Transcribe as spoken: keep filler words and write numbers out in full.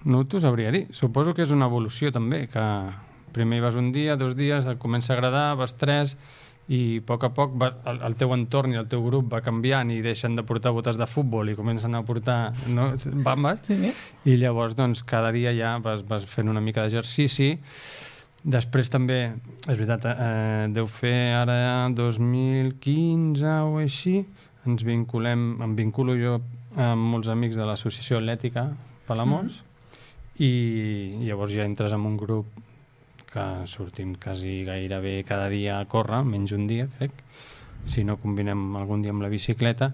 no t'ho sabria dir. Suposo que és una evolució també, que primer hi vas un dia, dos dies, et comença a agradar, vas tres, i a poc a poc va, el, el teu entorn i el teu grup va canviant i deixen de portar botes de futbol i comencen a portar no, bambes, Sí. i llavors doncs, cada dia ja vas, vas fent una mica d'exercici. Després també, és veritat, eh, deu fer ara dos mil quinze o així, ens vinculem, em vinculo jo amb molts amics de l'associació atlètica Palamós, mm. i llavors ja entres en un grup que sortim quasi gairebé cada dia a córrer, menys un dia, crec, si no combinem algun dia amb la bicicleta,